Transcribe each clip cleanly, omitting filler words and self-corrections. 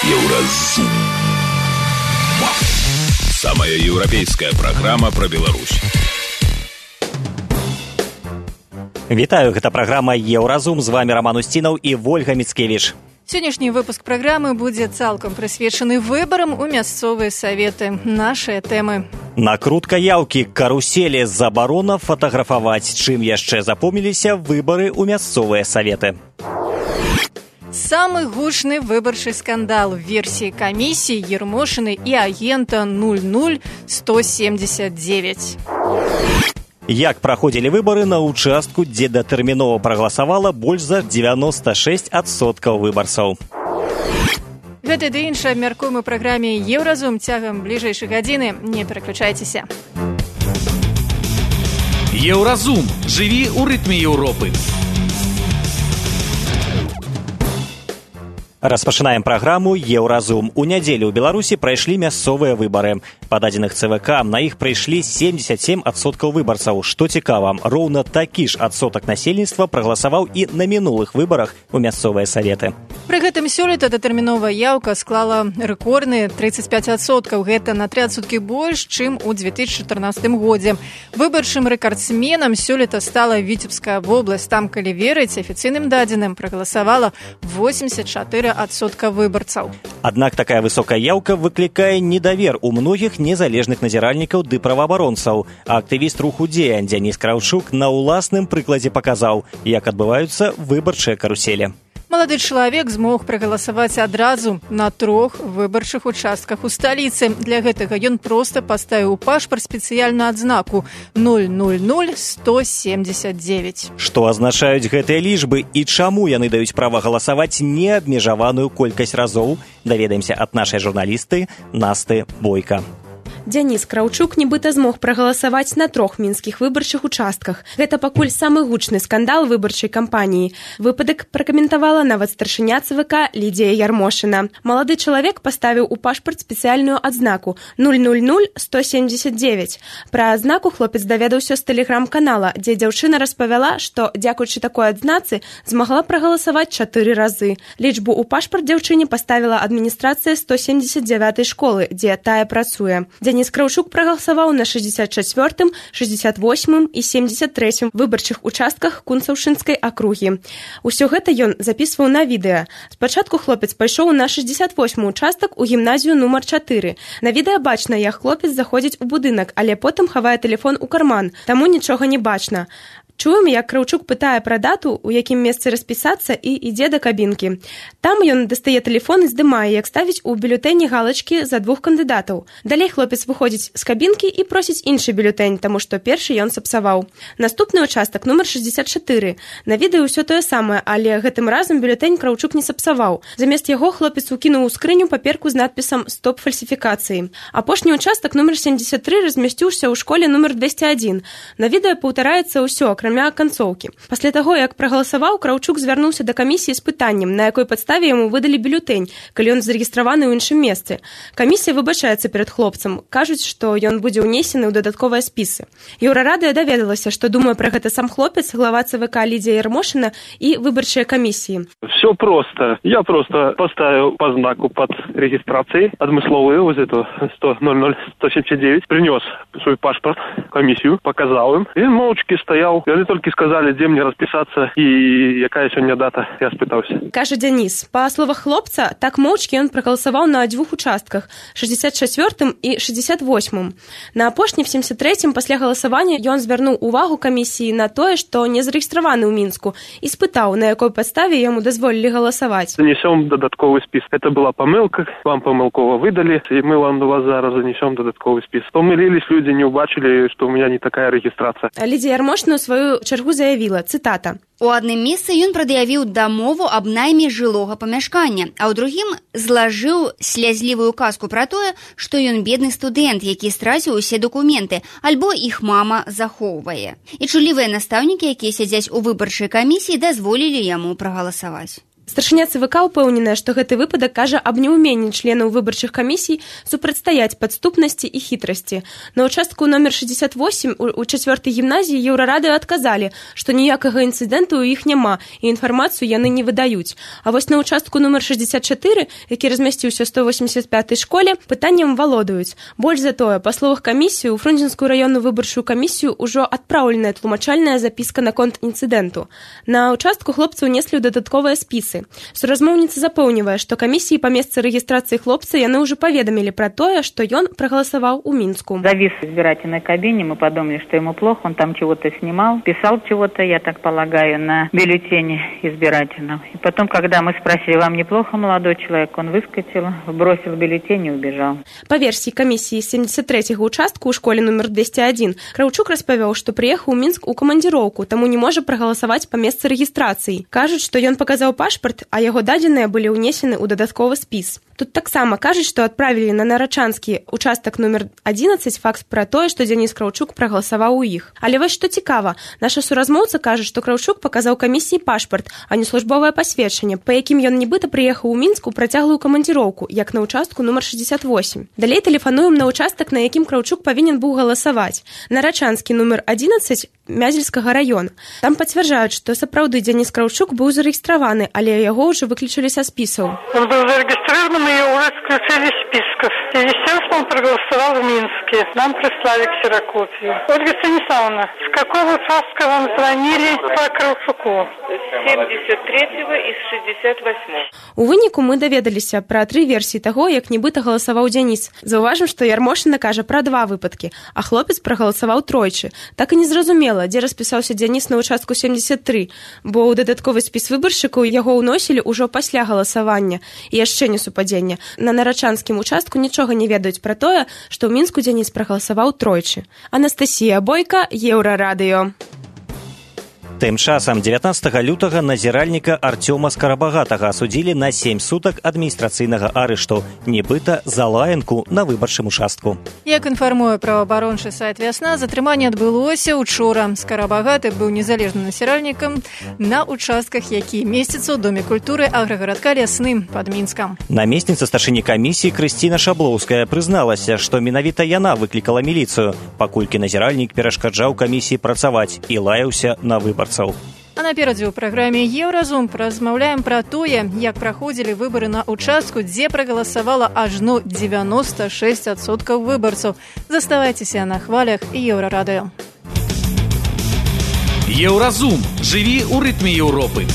Еўразум. Самая еўрапейская праграма пра Беларусь. Вітаю, гэта праграма «Еўразум». З вами Роман Устинов і Вольга Мицкевич. Сённяшні выпуск праграмы будзе цалкам прысвечаны выбарам у мясцовыя саветы. Нашыя тэмы. Накрутка яўкі, каруселі, забарона фатаграфаваць. Чым яшчэ запомніліся выбары ў мясцовыя саветы? Самы гучны выбарчы скандал в версіі камісіі Ермошыны і агента 00179. Як праходзілі выбары на ўчастку, дзе датэрмінова прагаласавала больш за 96% выбарцаў. Гэта ды іншае абмяркуем у праграме «Еўразум» цягам бліжэйшай гадзіны. Не пераключайцеся. Еўразум. Жыві ў рытме Еўропы. Распачынаем праграму «Еўразум». У нядзелю ў Беларусі прайшлі мясцовыя выбары. Па дадзеных ЦВК на іх прыйшлі 77% выбарцаў. Што цікава, роўна такі ж адсотак насельніцтва прагаласаваў і на мінулых выбарах у мясцовыя саветы. Пры гэтым сёлета датэрміновая яўка склала рэкордныя 35%. Гэта на 3% больш, чым у 2014 годзе. Выбарчым рэкардсменам сёлета стала Віцебская вобласць. Там, калі верыць афіцыйным дадзеным, прагаласавала 84% выбарцаў. Аднак такая высокая яўка выклікае недавер у многіх незалежных назіральнікаў ды праваабаронцаў. Актывіст руху «Дзея» Дзяніс Краўчук на ўласным прыкладзе паказаў, як адбываюцца выбарчыя каруселі. Малады чалавек змог прагаласаваць адразу на 3 выбарчых участках у сталіцы. Для гэтага ён проста паставіў у пашпарт спецыяльную адзнаку 00179. Што азначаюць гэтыя лічбы і чаму яны даюць права галасаваць неабмежаваную колькасць разоў, даведаемся ад нашай журналісты Насты Бойка. Дзяніс Краўчук нібыта змог прагаласаваць на 3 мінскіх выбарчых участках. Гэта пакуль самы гучны скандал выбарчай кампаніі. Выпадак пракаментавала нават старшыня ЦВК Лідзія Ярмошына. Малады чалавек паставіў у пашпарт спецыяльную адзнаку 00179. Пра адзнаку хлопец даведаўся з тэлеграм-канала, дзе дзяўчына распавяла, што, дзякуючы такой адзнацы, змагла прагаласаваць 4 разы. Лічбу ў пашпарт дзяўчыне паставіла адміністрацыя 179 школы, дзе тая працуе. Дзяніс Краўчук прагаласаваў на 64-м, 68-м і 73-м выбарчых участках Кунцаўшынскай акругі. Усё гэта ён запісваў на відэа. Спачатку хлопец пайшоў на 68-м участак у гімназію нумар 4. На відэа бачна, як хлопец заходзіць у будынак, але потым хавае тэлефон у карман, таму нічога не бачна. Чуем, як Краўчук пытае пра дату, у якім месцы распісацца, і ідзе да кабінкі. Там ён дастае тэлефон і здымае, як ставіць у бюлетэні галачкі за 2 кандыдатаў. Далей хлопец выходзіць з кабінкі і просіць іншы бюлетэнь, таму што першы ён сапсаваў. Наступны участак нумар 64. На відэа ўсё тое самае, але гэтым разам бюлетэнь Краўчук не сапсаваў. Замест яго хлопец укінуў у скрыню паперку з надпісам «Стоп фальсіфікацыі». Апошні участак нумар 73 размясціўся ў школе нумар 201. На відэа паўтараецца ўсё, акрамя канцоўкі. Пасля таго, як прагаласаваў, Краўчук звярнуўся да камісіі з пытаннем, на якой падставе яму выдалі бюлетэнь, калі ён зарэгістраваны ў іншым месцы. Камісія выбачаецца перад хлопцам. Кажуць, што ён будзе ўнесены ў дадатковыя спісы. Еўрарадыё даведалася, што думае пра гэта сам хлопец, глава ЦВК Лідзія Ярмошына і выбарчыя камісіі. Все просто. Я просто поставил по знаку под регистрацией адмысловую, вот эту 100-00179, принес свой паспорт в комиссию, показал им, и молчки стоял. Они только сказали, где мне расписаться и якая сегодня дата, я спытался. Кажа Дзяніс, па словах хлопца, так моўчкі ён прагаласаваў на 2 участках, 64-м і 68-м. На апошні в 73-м пасля галасавання ён звярнуў увагу камісіі на тое, што не зарэгістраваны ў Мінску, і спытаў, на якой падставе яму дазволілі галасаваць. Занесем додатковый список. Это была помылка, вам помылково выдали, и мы вам до вас зараз занесем додатковый список. Помылились люди, не убачили, что у меня не такая регистрация. Лідзія Ярмошына ў сваю чаргу заявіла, цытата. У адным месцы ён прад'явіў дамову аб найме жылога памяшкання, а ў другім злажыў слязлівую казку пра тое, што ён бедны студэнт, які страціў усе дакументы, альбо іх мама захоўвае. І чулівыя настаўнікі, якія сядзяць у выбарчай камісіі, дазволілі яму прагаласаваць. Старшыня ЦВК упэўненая, што гэты выпадак кажа аб неуменні членаў выбарчых камісій супрацьстаяць падступнасці і хітрасці. На участку номер 68 у 4-й гімназіі Еўрарадыё адказалі, што ніякага інцыдэнту ў іх няма і інфармацыю яны не выдаюць. А вось на участку номер 64, які размясціўся ў 185-й школе, пытаннем валодаюць. Больш за тое, па словах камісіі, у Фрунзенскую раённую выбарчую камісію ўжо адпраўленая тлумачальная запіска наконт інцыдэнту. На участку хлопцы ўнеслі ў дадатковыя спісы. Суразмоўніца запэўнівае, што камісіі па месцы рэгістрацыі хлопца яны ўжо паведамілі пра тое, што ён прагаласаваў у Мінску. Завис в избирательной кабине, мы подумали, что ему плохо, он там чего-то снимал, писал чего-то, я так полагаю, на бюллетене избирательном. И потом, когда мы спросили, вам неплохо, молодой человек, он выскочил, бросил бюллетень и убежал. Па версіі камісіі 73-го участку ў школе номер 201 Краўчук распавёў, што прыехаў у Мінск у камандзіроўку, таму не можа прагаласаваць па месцы рэгістрацыі. Кажуць, што ён паказаў пашпарт, а яго дадзеныя былі ўнесены ў дадатковы спіс. Тут таксама кажуць, што адправілі на Нарачанскі участак номер 11 факс пра тое, што Дзяніс Краўчук прагаласаваў у іх. Але вось што цікава, наша суразмоўца кажа, што Краўчук паказаў камісіі пашпарт, а не службовае пасведчанне, па якім ён нібыта прыехаў у Мінск у працяглую камандзіроўку, як на участку номер 68. Далей тэлефануем на участак, на якім Краўчук павінен быў галасаваць. Нарачанскі номер 11 Мязельскага раёна. Там пацвярджаюць, што сапраўды Дзяніс Краўчук быў зарэгістраваны, але яго ўжо выключылі са спісаў. Он был зарегистрирован, мы его уже исключили из списков. И, естественно, он проголосовал в Минске. Нам прислали ксерокопию. Ольга Станиславовна, с какого участка вам звонили по Краўчуку? С 73-го и с 68-го. У выніку мы даведаліся пра 3 версіі таго, як нібыта галасаваў Дзяніс. Заўважым, што Ярмошына кажа пра 2 выпадкі, а хлопец прагаласаваў тройчы. Так і незразумела, дзе распісаўся Дзяніс на участку 73, бо ў дадатковы спіс выбаршчыкаў яго ўносілі ўжо пасля галасавання і яшчэ не супадзення. На Нарачанскім участку нічога не ведаюць пра тое, што ў Мінску Дзяніс прагаласаваў тройчы. Анастасія Бойка, Еўрарадыё. Тым часам 19 лютага назіральніка Артёма Скарабагатага асудзілі на 7 сутак адміністрацыйнага арышту, нібыта за лаянку на выбарчым участку. Як інфармуе праваабарончы сайт «Вясна», затрыманне адбылося учора. Скарабагаты быў незалежным насіральнікам на участках, які месцяцца ў Доме культуры аграгарадка Лясны пад Мінскам. Намесніца старшыні камісіі Крысціна Шаблоўская прызналася, што менавіта яна выклікала міліцыю, паколькі назіральнік перашкаджаў камісіі працаваць і лаяўся на выбар. А наперадзе ў праграме «Еўразум» размаўляем пра тое, як праходзілі выбары на участку, дзе прагаласавала ажно 96% выбарцаў. Заставайцеся на хвалях Еўрарадыё. Еўразум. Жыві ў рытме Еўропы.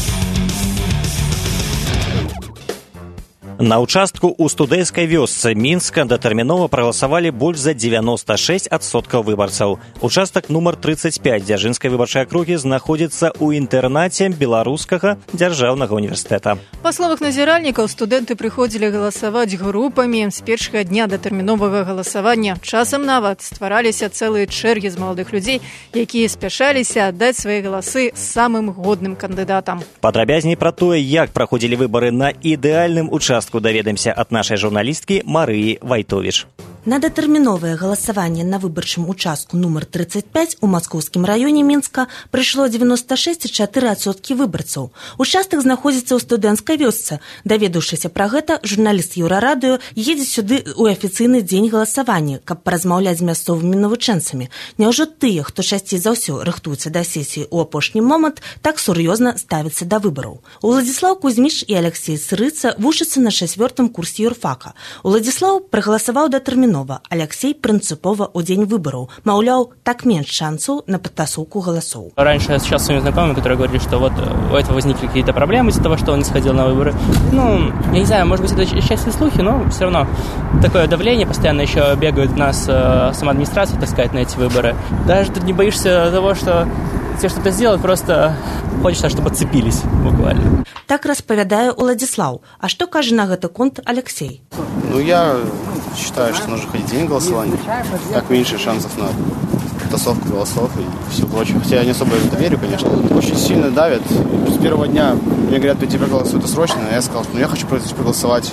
На участку ў студэнцкай вёсцы Мінска датэрмінова прагаласавалі больш за 96% выбарцаў. Участак нумар 35 Дзяржынскай выбарчай акругі знаходзіцца ў інтэрнаце Беларускага дзяржаўнага універсітэта. Па словах назіральнікаў, студэнты прыходзілі галасаваць групамі з першага дня датэрміновага галасавання. Часам нават ствараліся цэлыя чэргі з маладых людзей, якія спяшаліся аддаць свае галасы самым годным кандыдатам. Падрабязней пра тое, як праходзілі выбары на ідэальным участку, даведаемся ад нашай журналісткі Марыі Вайтовіч. На датэрміновае галасаванне на выбарчым участку нумар 35 у маскоўскім раёне Мінска прыйшло 96,4% выбарцаў. Участак знаходзіцца ў студэнцкай вёсцы. Даведаўшыся пра гэта, журналіст Еўрарадыё едзе сюды ў афіцыйны дзень галасавання, каб паразмаўляць з мясцовымі навучэнцамі. Няўжо тыя, хто часцей за ўсё рыхтуецца да сесіі ў апошні момант, так сур'ёзна ставяцца да выбараў? Уладзіслаў Кузьміч і Алексей Сырыца вучацца на 4-м курсе юрфака. Уладзіслаў прагаласаваў датэрмінова, Алексей принципова у день выборов. Маўляў, так меньше шансов на подтасовку голосов. Раньше я встречался с своими знакомыми, которые говорили, что вот у этого возникли какие-то проблемы из-за того, что он не сходил на выборы. Ну, я не знаю, может быть, это часть слухи, но все равно такое давление постоянно еще бегает у нас сама администрация, так сказать, на эти выборы. Даже тут не боишься того, что тебе что-то сделать, просто хочется, чтобы отцепились буквально. Так распавядае Уладзіслаў. А что кажа на гэты конт Алексей? Ну, я считаю, что нужно ходить в день голосования. Так меньше шансов на тасовку голосов и все прочее. Хотя я не особо в это верю, конечно. Очень сильно давят. С первого дня мне говорят, пойти проголосовать, это срочно. Я сказал, что я хочу проголосовать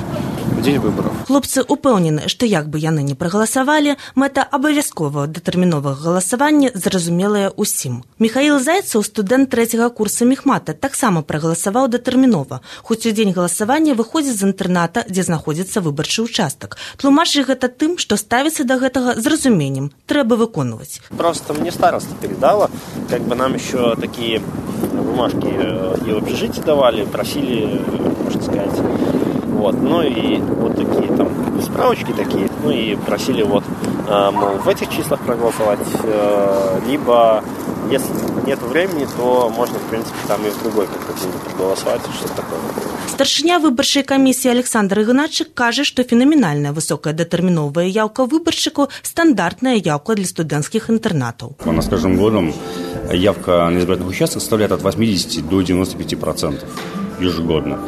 в день выборов. Хлопцы упэўнены, што як бы яны не прагаласавалі, мэта абавязковага датэрміновага галасавання зразумелая ўсім. Михаил Зайцев, студэнт 3-го курса мехмата, таксама прагаласаваў датэрмінова, хоць у дзень галасавання выходзіць з інтэрната, дзе знаходзіцца выбарчы участак. Тлумачыць гэта тым, што ставіцца да гэтага з разуменнем, трэба выконваць. Просто мне староста передала, как бы нам еще такие бумажки и в общежитии давали, просили, можно сказать, вот, ну и вот такие там справочки такие, ну и просили вот, мол, в этих числах проголосовать, либо если нет времени, то можно, в принципе, там и в другой как-то день проголосовать, что-то такое. Старшыня выбарчай камісіі Александр Ігначык кажа, што фенаменальная высокая датэрміновая яўка выбаршчыку – стандартная яўка для студэнцкіх інтэрнатаў. У нас с каждым годом явка на избирательных участках составляет от 80 до 95% ежегодно.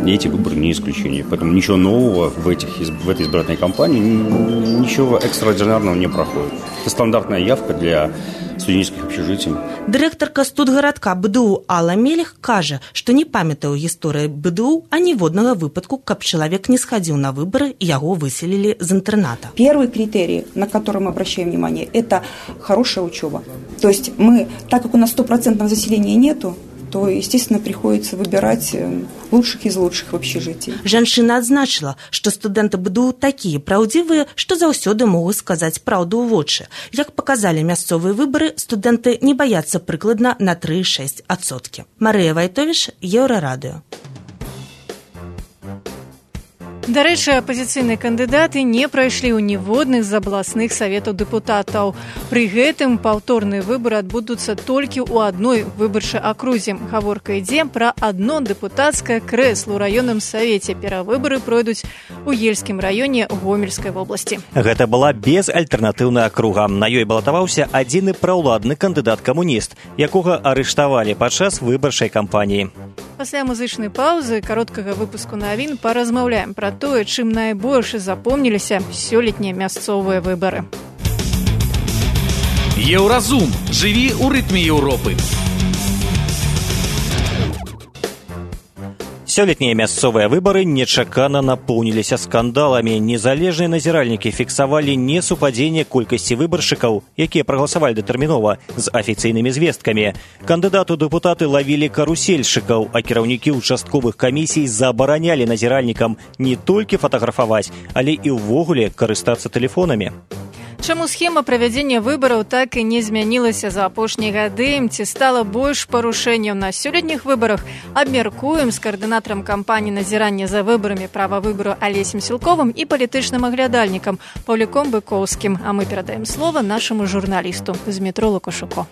И эти выборы не исключение. Поэтому ничего нового в этой избирательной кампании, ничего экстраординарного не проходит. Это стандартная явка для студенческих общежитий. Дырэктарка студгарадка БДУ Алла Мелех кажа, што не памятае ў гісторыі БДУ аніводнага выпадку, каб чалавек не схадзіў на выборы і яго выселілі з интерната. Первый критерий, на который мы обращаем внимание, это хорошая учеба. То есть мы, так как у нас 100% заселения нету, то, естественно, приходится выбирать лучших из лучших в общежитии. Жанчына адзначыла, што студэнты БДУ такія праўдзівыя, што заўсёды могуць сказаць праўду ў вочы. Як паказалі мясцовыя выбары, студэнты не баяцца прыкладна на 3,6%. Марыя Вайтовіш, Еўрарадыё. Дарэчы, апазіцыйныя кандыдаты не прайшлі ў ніводных з абласных саветаў дэпутатаў. Пры гэтым паўторныя выбары адбудуцца толькі ў адной выбарчай акрузе. Гаворка ідзе пра адно дэпутацкае крэсла ў раённым савеце. Перавыбары пройдуць у Ельскім раёне Гомельскай вобласці. Гэта была безальтэрнатыўная акруга. На ёй балатаваўся адзіны праўладны кандыдат-камуніст, якога арыштавалі падчас выбарчай кампаніі. Пасля музычнай паўзы кароткага выпуску навін паразмаўляем пра тое, чым найбольш запомніліся сёлетнія мясцовыя выбары. Еўразум. Жыві ў рытме Еўропы. Сёлетнія мясцовыя выбары нечакана напоўніліся скандаламі. Незалежныя назіральнікі фіксавалі несупадзенне колькасці выбаршчыкаў, якія прагаласавалі датэрмінова, з афіцыйнымі звесткамі. Кандыдаты ў дэпутаты лавілі карусельшчыкаў, а кіраўнікі ўчастковых камісій забаранялі назіральнікам не толькі фатаграфаваць, але і ўвогуле карыстацца тэлефонамі. Чаму схема правядзення выбараў так і не змянілася за апошнія гады, ці стала больш парушэнняў на сёлетніх выбарах, абмяркуем з каардынатарам кампаніі назірання за выбарамі права выбару Алесем Сілковым і палітычным аглядальнікам Паўліком Быкоўскім. А мы перадаем слова нашаму журналісту Змітру Лукашуко.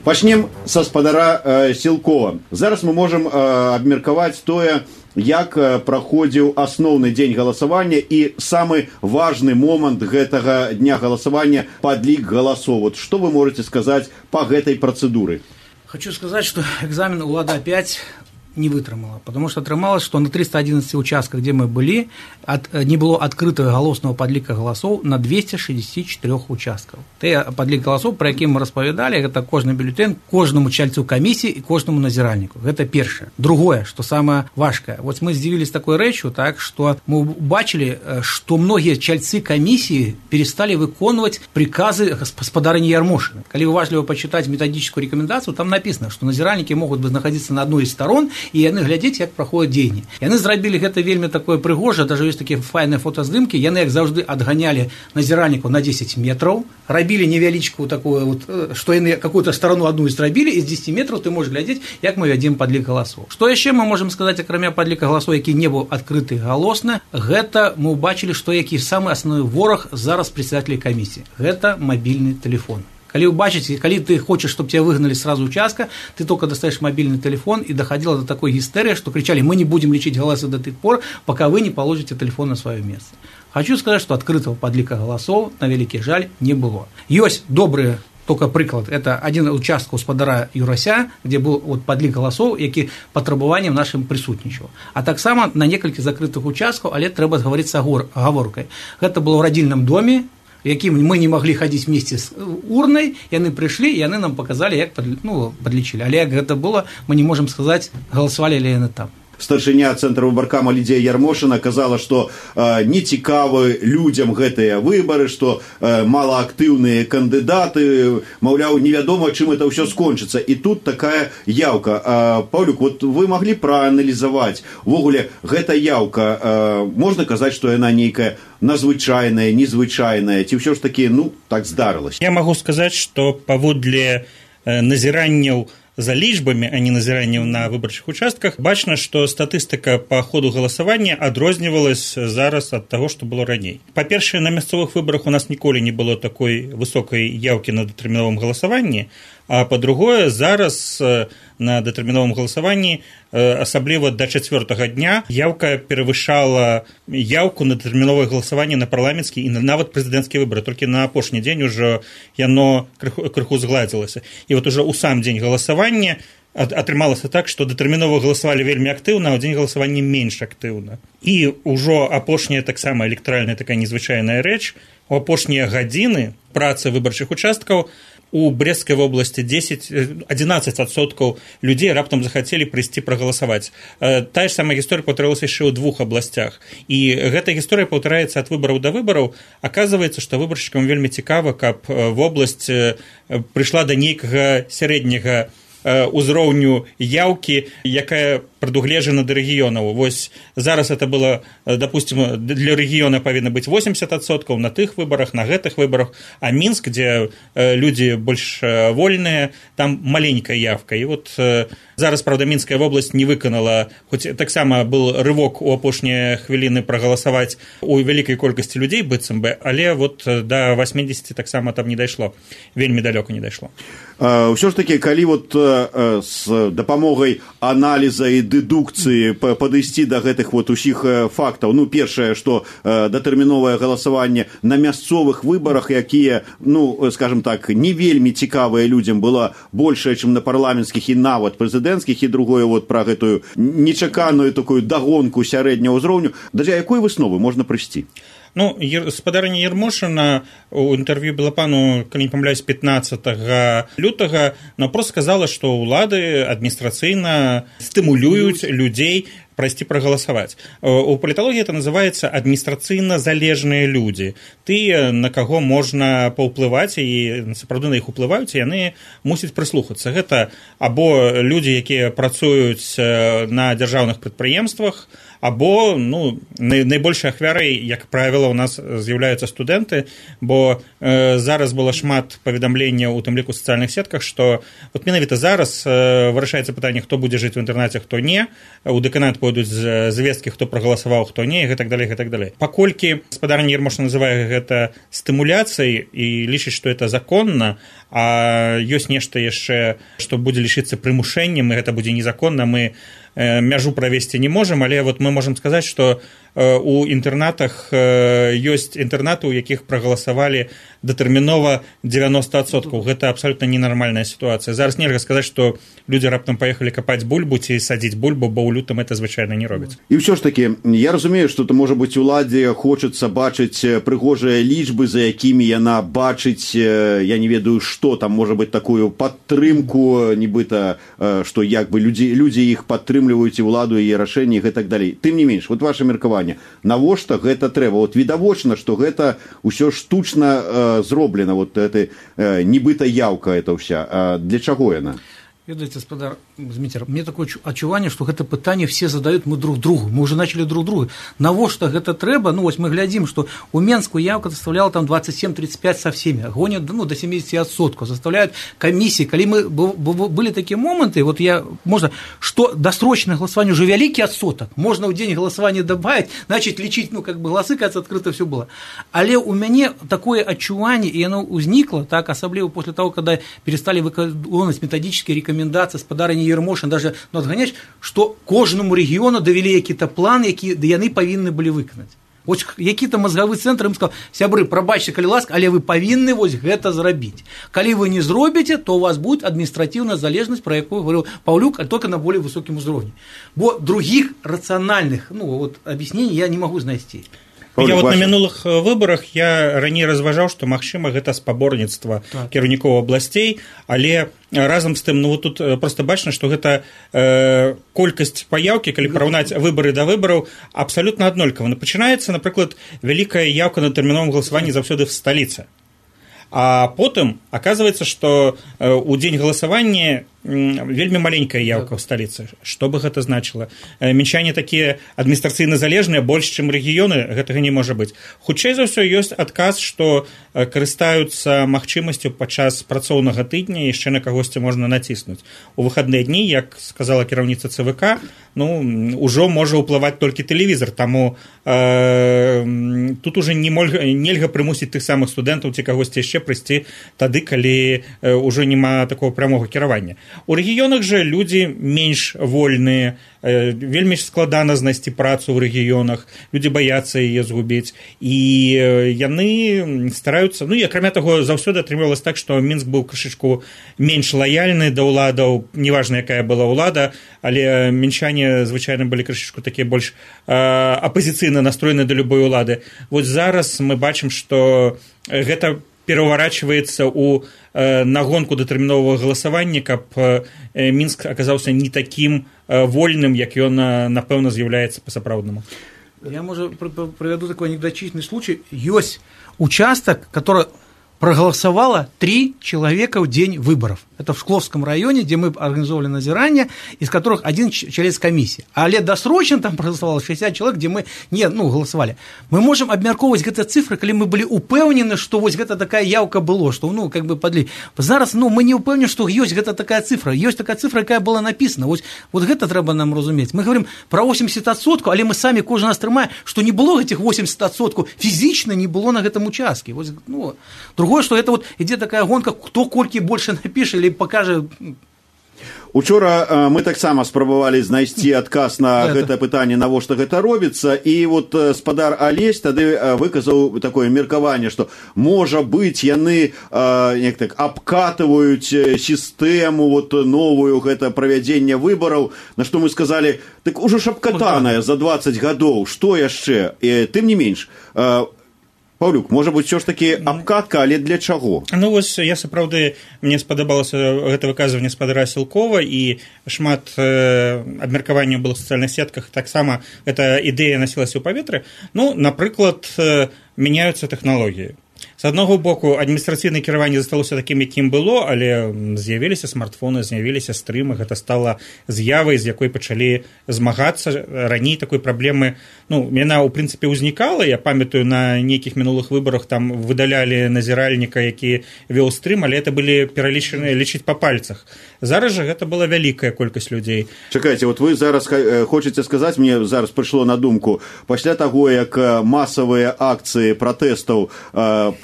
Пачнем са спадара Сілкова. Зараз мы можам абмеркаваць тое, як праходзіў асноўны дзень галасавання і самы важны момант гэтага дня галасавання – падлік галасоў. Вот што вы можете сказаць па гэтай працэдуры? Хочу сказать, что экзамен УЛАДа-5 не вытрымала, потому что атрымалось, что на 311 участках, где мы были, не было открытого галоснага падліка галасоў на 264 участках. Те падлік галасоў, про які мы распавядалі, гэта кожны бюлетень кожнаму чальцу камісіі і кожнаму назіральніку. Гэта першае. Другое, что самое важкое. Вот мы здзівілись такой рэчью, так, что мы убачили, что многие чальцы камісіі перестали выконваць приказы гаспадарыні Ярмошина. Калі уважліва почитать методическую рекомендацию, там написано, что назіральнікі могут находиться на одной из сторон, і яны глядзець, як праходзяць дзеянні. Яны зрабілі гэта вельмі такое прыгожа, даже ёсць такія файныя фотаздымкі, яны, як заўжды, адганялі назіральнікаў на 10 метраў, рабілі невялічкую такую, вот, што яны какую-то сторону одну зрабілі, і з 10 метраў ты можаш глядзець, як мы вядзем падлік галасоў. Што яшчэ мы можам сказаць, акрамя падліка галасоў, які не быў адкрыты галосна, гэта мы ўбачылі, што які самы асноўны вораг зараз прадседателей камісіі. Гэта мабільны тэлефон. Калі убачыце, калі ты хочаш, чтобы тебя выгнали сразу участка, ты только достаешь мобильный телефон, и доходило до такой гистерии, что кричали: мы не будем лечить голосы до тех пор, пока вы не положите телефон на свое место. Хочу сказать, что открытого падліка голосов, на вялікі жаль, не было. Ёсць добрые, только прыклад, это один участок гаспадара Юрася, где был вот падлік голосов, які патрабаваннем нашим присутнічаў. А так само на некалькі закрытых участкаў, але трэба говорить с оговоркой. Это было в родильном доме, якім мы не могли ходить вместе с урной, яны пришли, и яны нам показали, як подлічили. Але як гэта было, мы не можем сказать, голосовали ли яны там. старшыня цэнтра выбаркама Лідія Ярмошына казала, што не цікавы людзям гэтыя выбары, што малаактыўныя кандыдаты, маўляў, невядома, чым это ўсё скончыцца. І тут такая яўка. Паўлюк, вот вы маглі прааналізаваць, увогуле, гэта яўка, можна казаць, што яна нейкая надзвычайная, незвычайная, ці ўсё ж такі, так здарылася? Я магу сказаць, што паводле назіранняў за лічбамі, а не назіранняў на выбарчых участках, бачна, што статыстыка па ходу галасавання адрознівалась зараз ад таго, што было раней. Па-першае, на мясцовых выбарах у нас ніколі не было такой высокай яўкі на дэтэрміновым галасаванні, а па-другое, зараз на дэтэрміновым галасаванні, асабліва да 4-го дня, яўка перавышала яўку на дэтэрміновае галасаванне на парламенцкі і нават прэзідэнцкія выбары. Толькі на апошні дзень ужо яно крыху згладзілася. І вот ужо ў сам дзень галасавання атрымалася так, што дэтэрмінова галасавалі вельмі актыўна, а ў дзень галасавання менш актыўна. І ўжо апошняя таксама электаральная такая незвычайная рэч, у апошнія гадзіны працы выбарчых участкаў у Брестскай вобласці 11% людзей раптам захацелі прыйсці прагаласаваць. Тая ж самая гісторыя паўтарылася яшчэ ў 2 абласцях. І гэта гісторыя паўтараецца ад выбараў да выбараў. Аказваецца, што выбаршчыкам вельмі цікава, каб вобласць прыйшла да нейкага сярэдняга узроўню яўкі, якая прадугледжана да рэгіёнаў. Вось зараз это было, допустим, для рэгіёна павінна быць 80% на тых выбарах, на гэтых выбарах, а Мінск, дзе людзі больш вольныя, там маленькая явка. І вот зараз, правда, Мінская вобласць не выканала, хоць таксама был рывок у апошнія хвіліны прагаласаваць у вялікай колькасці людзей, быццам бы, але вот да 80 таксама там не дайшло, вельмі далёка не дайшло. Ўсё ж такі, калі вот з дапамогай аналіза і дэдукцыі падысці да гэтых вот усіх фактаў, першае, што датэрміновае галасаванне на мясцовых выбарах, якія, скажем так, не вельмі цікавыя людзям, была большая, чым на парламенцкіх і нават прэзідэнцкіх, і другое вот пра гэтую нечаканую такую дагонку сярэдняга ўзроўню, да якой высновы можна прыйсці? Спадарня Ярмошына у інтэрв'ю Белапану, калі не памыляюсь, 15 лютага, просто сказала, што ўлады адміністрацыйна стымулююць людзей прайсці прагаласаваць. У паліталогіі это называецца адміністрацыйна залежныя людзі. Тыя, на каго можна паўплываць, і сапраўды на іх уплываюць, і яны мусяць прыслухацца. Гэта або людзі, якія працуюць на дзяржаўных прадпрыемствах, або найбольшай ахвярай, як правіла, у нас з'яўляюцца студэнты, бо зараз было шмат паведамленняў у тым ліку ў сацыяльных сетках, што вот менавіта зараз вырашаецца пытанне, хто будзе жыць у інтэрнаце, хто не, у дэканат пойдуць звесткі, хто прагаласаваў, хто не, і гэтак далей, гэтак далей. Паколькі спадарня Ярмошына называе гэта стымуляцыяй і лічыць, што это законна, а ёсць нешта яшчэ, што будзе лічыцца прымушэннем, і гэта будзе незаконна, мы мяжу правесці не можам, але вот мы можам сказаць, што у інтэрнатах ёсць інтэрнаты, у якіх прагаласавалі датэрмінова 90%. Гэта абсалютна ненармальная сітуацыя. Зараз нельга сказаць, што людзі раптам паехалі капаць бульбу ці садзіць бульбу, бо ў лютым это звычайна не робяць. І ўсё ж такі, я разумею, што можа быць уладзе хочацца бачыць прыгожыя лічбы, за якімі яна бачыць, я не ведаю, што там можа быць такую падтрымку, нібыта, што як бы людзі іх падтрымліваюць і ўладу, і рашэнні, і гэтак далей. Тым не менш, вот ваше меркаванне, навошта гэта трэба? Вот відавочна, што гэта ўсё штучна зроблена, вот это нібыта яўка это ўся. Для чаго яна? Ведаеце, спадар Зміцер, мне такое адчуванне, што гэта пытанне все задаюць мы друг другу. Мы уже начали друг другу. Навошта гэта трэба? Вось мы глядзім, што у Менску явка составляла там 27-35 со всеми, гонят до 70%, составляют комиссии. Калі мы были такие моменты, вот можно, что досрочное голосование уже великий отсоток, можно в день голосования добавить, значит, лечить, голосы, кажется, открыто все было. Але у мяне такое адчуванне, и оно узникло, так, особливо после того, когда перестали выконывать методические рекомендации спадарні Ярмошын, даже адганяць, што кожнаму рэгіёну давялі які-то план, які яны павінны былі выканаць. Вось які-то мазгавы цэнтр ім сказаў: сябры, прабачце, калі ласка, але вы павінны вось гэта зрабіць. Калі вы не зробіце, то у вас будет адміністратыўная залежнасць, про якую говорил Паўлюк, а только на более высокім узроўні. Бо других рацыянальных, объяснений я не могу знайсці. Я вот на мінулых выбарах я раней разважаў, што магчыма гэта спаборніцтва кіраўнікоў абласцей, але разам з тым, ну вот тут просто бачна, што гэта колькасць паяўкі, калі параўнаць выбары да выбараў, абсалютна аднолькава. Пачынаецца, напрыклад, вялікая яўка на тэрміновым галасаванні заўсёды в сталіцы. А потым аказваецца, што ў дзень галасавання вельмі маленькая яўка ў сталіцы. Што бы гэта значыла? Мінчане такія адміністрацыйна залежныя, больш, чым рэгіёны, гэтага не можа быць. Хутчэй за ўсё ёсць адказ, што карыстаюцца магчымасцю падчас працоўнага тыдня яшчэ на кагосьці можна націснуць. У выхадныя дні, як сказала кіраўніца ЦВК, ну, ужо можа ўплываць толькі тэлевізор, таму тут уже нельга прымусіць тых самых студэнтаў ці кагосьці яшчэ прыйсці тады, калі ўжо няма такого прамога кіравання. У рэгіёнах жа людзі менш вольныя, вельмі складана знайсці працу ў рэгіёнах, людзі баяцца яе згубіць, і яны стараюцца, ну і акрамя таго заўсёды атрымлівалася так, што Мінск быў крышачку менш лаяльны да ўладаў, неважна якая была ўлада, але мінчане звычайна былі крышачку такія больш апазіцыйна настроены да любой улады. Вось зараз мы бачым, што гэта пераварачваецца ў нагонку датэрміновага галасавання, каб Мінск аказаўся не такім вольным, як ён, напэўна, з'яўляецца па-сапраўднаму. Я, может, приведу такой анекдотичный случай. Есть участок, который проголосовало 3 человека в день выборов. Это в Шкловском районе, где мы организовали назирание, из которых 1 член комиссии. Але досрочно там проголосовало 60 человек, где мы не голосовали. Мы можем обмярковывать гэты цифры, когда мы были упэўнены, что вот гэта такая явка была, что как бы подли. Зараз мы не упэўнены, что есть гэта такая цифра. Есть такая цифра, какая была написана. Вот гэта трэба нам разуметь. Мы говорим про 80%, але мы сами кожен раз трымаем, что не было этих 80%, физично не было на гэтым участке. Вот, другое, что это вот идет такая гонка, кто колькі больше напишет или покажет. Учора мы таксама спрабавалі знайсці адказ на гэта пытанне, навошта гэта робіцца, і вот спадар Алесь тады выказаў такое меркаванне, што можа быць яны як так абкатываюць сістэму вот новую, гэта правядзенне выбараў, на што мы сказалі, так ужо ж абкатаная за 20 гадоў, што яшчэ? Тым не менш, Паўлюк, можа быць, ўсё ж такі абкатка, але для чаго? Ну, вось, я сапраўды, мне спадабалася гэта выказванне спадара Сілкова, і шмат абмеркаванняў было ў сацыяльных сетках, таксама эта ідэя насілася ў паветры. Ну, напрыклад, мяняюцца тэхналогіі. З аднаго боку, адміністрацыйнае кіраванне засталося такім, якім было, але з'явіліся смартфоны, з'явіліся стрымы, гэта стала з'явай, з якой пачалі змагацца. Раней такой праблемы, ну, яна, ў прынцыпе, ўзнікала. Я памятаю, на нейкіх мінулых выбарах там выдалялі назіральніка, які вёў стрым, але это былі пералічаныя лічыць па пальцах. Зараз жа гэта была вялікая колькасць людзей. Чакайце, вот вы зараз хочаце сказаць, мне зараз прыйшло на думку, пасля таго, як масавыя акцыі пратэстаў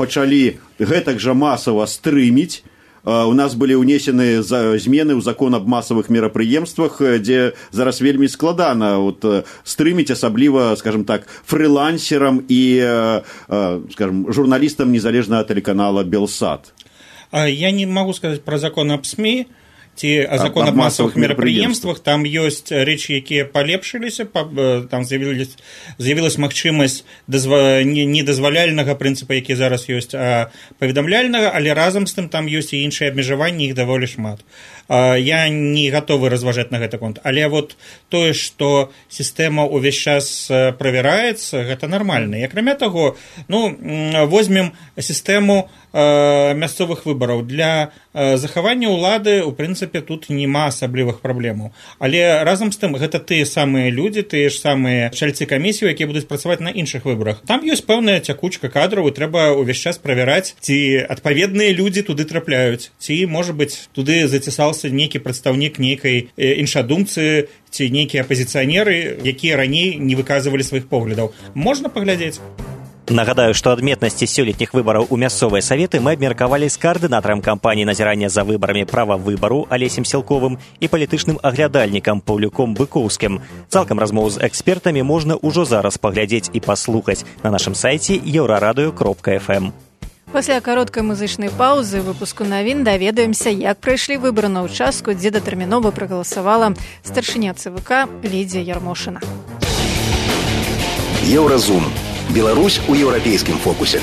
пачалі гэтак жа масава стрыміць, у нас былі ўнесены змены ў закон аб масавых мерапрыемствах, дзе зараз вельмі складана вот, стрыміць, асабліва, скажем так, фрылансерам і, скажем, журналістам незалежнага тэлеканала «Белсат». Я не могу сказаць пра закон аб СМІ, ці закон аб масавых мерапрыемствах, там ёсць рэчы, якія палепшыліся, там з'явілась магчымасць недазваляльнага прынцыпа, які зараз ёсць, а паведамляльнага, але разам з тым там ёсць і іншыя абмежаванні, іх даволі шмат. Я не гатовы разважаць на гэты конт, але вот тое, што сістэма ўвесь час правяраецца, гэта нармальна. І акрамя таго, ну, возьмем сістэму мясцовых выбараў. Для захавання ўлады, у прынцыпе, тут няма асаблівых праблемаў. Але разам з тым, гэта тыя самыя людзі, тыя ж самыя чальцы камісію, якія будуць працаваць на іншых выбарах. Там ёсць пэўная цякучка кадраў, і трэба ўвесь час правяраць, ці адпаведныя людзі туды трапляюць, ці, можа быць, туды зацісаўся нейкі прадстаўнік нейкай іншадумцы, ці нейкія апазіцыянеры, якія раней не выказвалі сваіх поглядаў. Можна паглядзець. Нагадаю, што адметнасці сёлетніх выбараў у мясцовыя саветы мы абмеркавалі з каардынатарам кампаніі назірання за выбарамі права выбару Алесем Сілковым і палітычным аглядальнікам Паўлюком Быкоўскім. Цалкам размову з экспертамі можна ўжо зараз паглядзець і паслухаць на нашым сайце euraradыё.fm. Пасля кароткай музычнай паўзы выпуску навін даведаемся, як прайшлі выбары на ўчастку, дзе датэрмінова прагаласавала старшыня ЦВК Лідзія Ярмошына. Еўразум. Беларусь у еўрапейскім фокусе.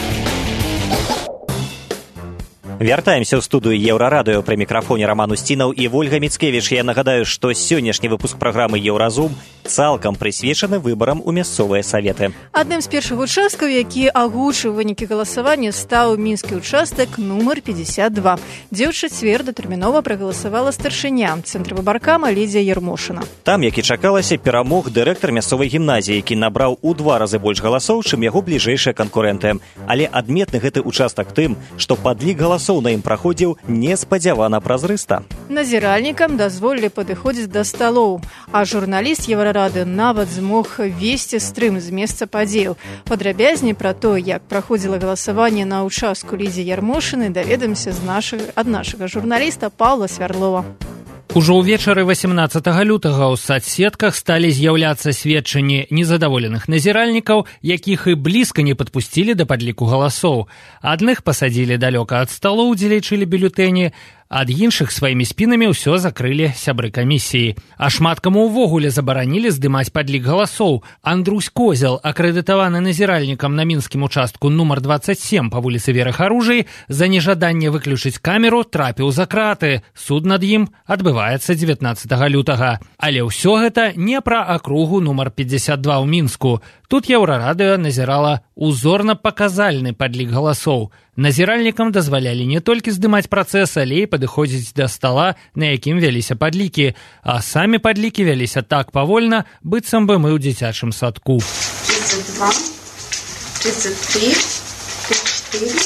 Вяртаемся ў студыю Еўрарадыё. Пры мікрафоне Роман Устінаў і Вольга Міцкевіч. Я нагадаю, што сённяшні выпуск праграмы «Еўразум» цалкам прысвечаны выбарам у мясцовыя саветы. Адным з першых участкаў, які агучыў вынікі галасавання, стаў мінскі участак нумар 52, дзе ў чацвер датэрмінова прагаласавала старшыня цэнтрвыбаркама Лідзія Ярмошына. Там, як і чакалася, перамог дырэктар мясцовай гімназіі, які набраў у 2 разы больш галасоў, чым яго бліжэйшыя канкурэнты. Але адметны гэты участак тым, што падлік галасоў на ім праходзіў неспадзявана празрыста. Назіральнікам дазволілі падыходзіць да сталоў, а журналіст Еўрарады нават змог весці стрым з месца падзеяў. Падрабязней пра то, як праходзіла галасаванне на ўчастку Лідзіі Ярмошыны, даведаемся ад нашага журналіста Паўла Свярдлова. Ужо ўвечары 18 лютага ў соцсетках сталі з'яўляцца сведчанні незадаволеных назіральнікаў, якіх і блізка не падпусцілі да падліку галасоў. Адных пасадзілі далёка ад сталоў, дзе лічылі бюлетэні, ад іншых сваімі спінамі ўсё закрылі сябры камісіі. А шмат каму ўвогуле забаранілі здымаць падлік галасоў. Андрусь Козел, акрэдытаваны назіральнікам на мінскім участку нумар 27 па вуліцы Веры Харужай, за нежаданне выключыць камеру трапіў за краты. Суд над ім адбываецца 19 лютага. Але ўсё гэта не пра акругу нумар 52 ў Мінску. Тут Еўрарадыё назірала узорна-паказальны падлік галасоў. Назіральнікам дазвалялі не толькі здымаць працэс, але і падыходзіць да стала, на якім вяліся падлікі. А самі падлікі вяліся так павольна, быццам бы мы ў дзіцячым садку. 32, 33, 34,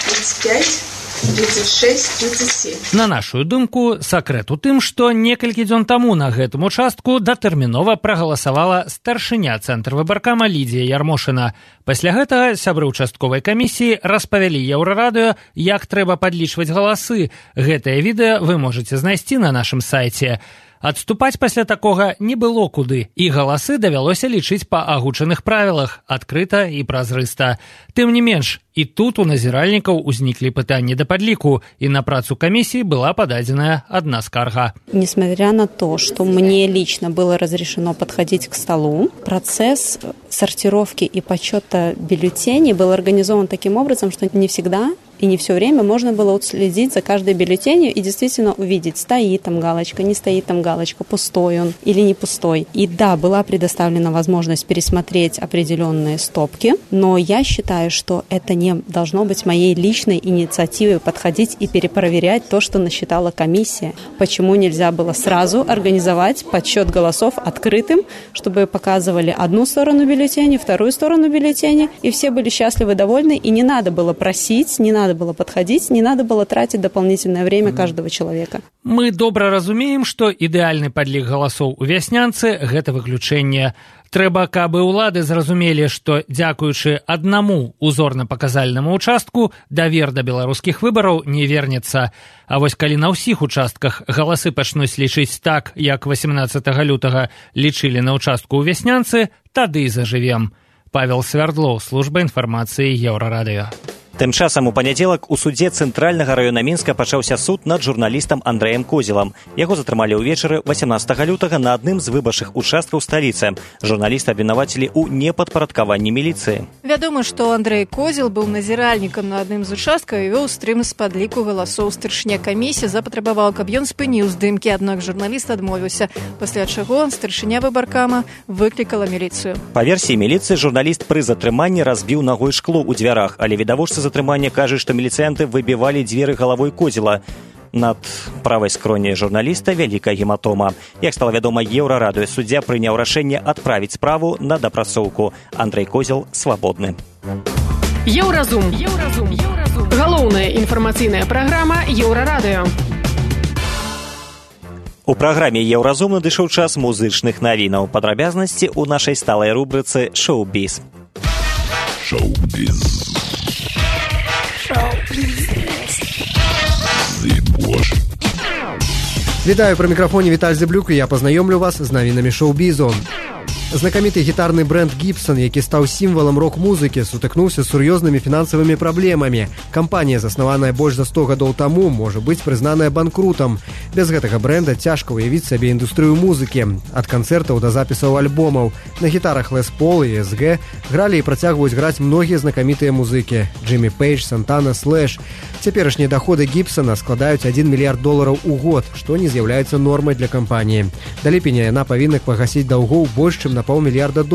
35... 36, 37. На нашу думку, сакрэт у тым, што некалькі дзён таму на гэтым участку датэрмінова прагаласавала старшыня цэнтрвыбаркама Лідзія Ярмошына. Пасля гэтага сябры участковай камісіі распавялі Еўрарадыё, як трэба падлічваць галасы. Гэтае відэа вы можаце знайсці на нашым сайце. Адступаць пасля такога не было куды, і галасы давялося лічыць па агучаных правілах, адкрыта і празрыста. Тым не менш, і тут у назіральнікаў узніклі пытанні да падліку, і на працу комиссии была подадена одна скарга. Несмотря на то, что мне лично было разрешено подходить к столу, процесс сортировки и подсчета бюллетеней был организован таким образом, что не всегда и не все время можно было следить за каждой бюллетенью и действительно увидеть, стоит там галочка, не стоит там галочка, пустой он или не пустой. И да, была предоставлена возможность пересмотреть определенные стопки, но я считаю, что это не должно быть моей личной инициативой подходить и перепроверять то, что насчитала комиссия. Почему нельзя было сразу организовать подсчет голосов открытым, чтобы показывали одну сторону бюллетеня, вторую сторону бюллетеня, и все были счастливы, довольны, и не надо было просить, не надо было подходить, не надо было тратить дополнительное время каждого человека. Мы добра разумеем, што ідэальны падлік галасоў у вяснянцы – гэта выключэнне. Трэба, каб улады зразумелі, што, дзякуючы аднаму узорна-паказальнаму участку, давер да беларускіх выбараў не вернецца. А вось калі на ўсіх участках галасы пачнуць лічыць так, як 18 лютага лічылі на участку ў вяснянцы, тады і зажывем. Павел Свярдлоў, служба інфармацыі Еўрарадыё. Тым часам у панядзелак у судзе Цэнтральнага раёна Мінска пачаўся суд над журналістам Андрэем Козелам. Яго затрымалі ўвечары 18 лютага на адным з выбарчых участкаў сталіцы. Журналіста абвінавацілі ў непадпарадкаванні міліцыі. Вядома, што Андрэй Козел быў назіральнікам на адным з участкаў і вёў стрым з падліку галасоў. Старшыня камісіі запатрабавала, каб ён спыніў здымкі, аднак журналіст адмовіўся, пасля чаго старшыня выбаркама выклікала міліцыю. Па версіі міліцыі, журналіст пры затрыманні разбіў нагой шкло ў дзвярах, але відавочцы затрымання кажа, што міліцыянты выбівалі дзверы галавой Козела. Над правай скроні журналіста вялікая гематома. Як стала вядома Еўрарадыё, суддзя прыняў рашэнне адправіць справу на дапрацоўку. Андрэй Козел свабодны. Еўразум. Галоўная інфармацыйная праграма Еўрарадыё. У праграме Еўразум надышоў час музычных навінаў. Падрабязнасці ў нашай сталай рубрыцы «Шоу-біз». Шоу-біз. Вітаю, пры мікрафоне Віталь Зэблюк, і я пазнаёмлю вас з навінамі шоу-бізу. Знакаміты гітарны бренд Gibson, які стаў сімвалам рок-музыкі, сутыкнуўся з сур'ёзнымі фінансавымі праблемамі. Кампанія, заснаваная больш за 100 гадоў таму, можа быць прызнаная банкрутам. Без гэтага бренда цяжка ўявіць сабе індустрыю музыкі. Ад канцэртаў да запісаў альбомаў. На гітарах Les Paul і SG гралі і працягваюць граць многія знакамітыя музыкі. Джиммі Пейдж, Сантана, Слэш. Цяперашнія даходы Гібсона складаюць $1 мільярд у год, што не з'яўляецца нормай для кампаніі. Да ліпеня яна павінна пагасіць даўгоў больш, чым на $500 мільярда.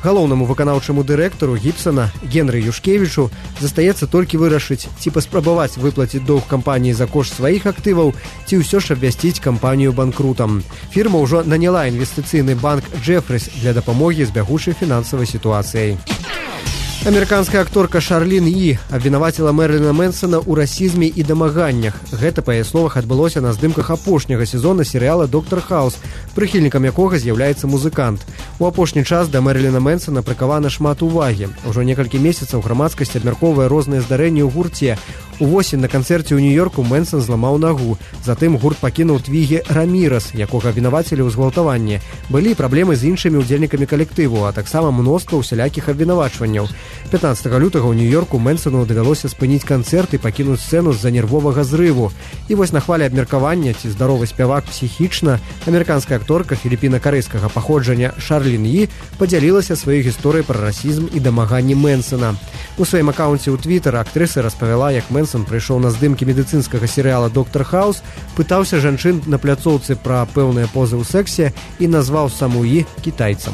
Галоўнаму выканаўчаму дырэктару Гібсона Генры Юшкевічу застаецца толькі вырашыць, ці паспрабаваць выплаціць доўг кампаніі за кошт сваіх актываў, ці ўсё ж абвясціць кампанію банкрутам. Фірма ўжо наняла інвестыцыйны банк Джефрис для дапамогі з бягучай фінансавай сітуацыяй. Амерыканская акторка Шарлін Йі абвінаваціла Мэрыліна Мэнсона ў расізме і дамаганнях. Гэта, па яе словах, адбылося на здымках апошняга сезона серыяла «Доктар Хаус», прыхільнікам якога з'яўляецца музыкант. У апошні час да Мэрыліна Мэнсона прыкавана шмат увагі. Ужо некалькі месяцаў грамадскасць абмяркоўвае розныя здарэнні ў гурце. Увосень на канцэрце ў Нью-Йорку Мэнсон зламаў нагу. Затым гурт пакінуў Твігі Рамірас, якога абвінавацілі ў згвалтаванні. Былі праблемы з іншымі ўдзельнікамі калектыву, а таксама мноства ўсялякіх абвінавачванняў. 15 лютага ў Нью-Йорку Мэнсону давялося спыніць канцэрт і пакінуць сцэну з-за нервовага зрыву. І вось на хвале абмеркавання, ці здаровы спявак псіхічна, амерыканская акторка філіпіна-карэйскага паходжання Шарлін Йі падзялілася сваёй гісторыяй пра расізм і дамаганні Мэнсона. У сваім акаунце ў Твіттер актрыса распавяла, як Мэнсон прыйшоў на здымкі медыцынскага серыяла «Доктар Хаус», пытаўся жанчын на пляцоўцы пра пэўныя позы ў сексе і назваў саму Йі кітайцам.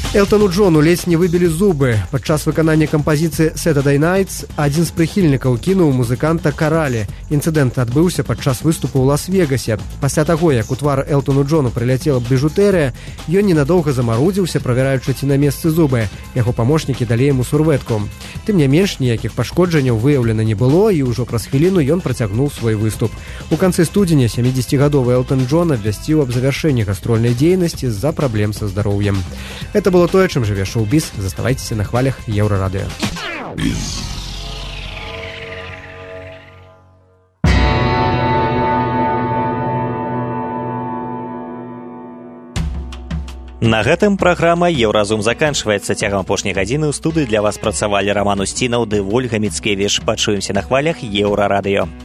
Элтону Джону ледзь не выбілі зубы. Падчас выканання кампазіцыі «Saturday Nights» адзін з прыхільнікаў кінуў музыканта каралі. Інцыдэнт адбыўся падчас выступу ў Лас-Вегасе. Пасля таго, як у твар Элтону Джону прыляцела біжутэрыя, ён ненадоўга замарудзіўся, правяраючы, ці на месцы зубы. Яго памочнікі далі яму сурвэтку. Тым не менш, ніякіх пашкоджанняў выяўлена не было, і ўжо праз хвіліну ён працягнуў свой выступ. У канцы студзеня 70-гадовы Элтон Джон абвясціў аб завяршэнні гастрольнай дзейнасці з-за праблем са здароўем. Это было тое, чым жыве шоу-біз. Заставайцеся на хвалях Еўрарадыё. На гэтым праграма «Еўразум» заканчваецца. Цягам апошняй гадзіны ў студыі для вас працавалі Раман Усцінаў ды Вольга Міцкевіч. Пачуемся на хвалях Еўрарадыё.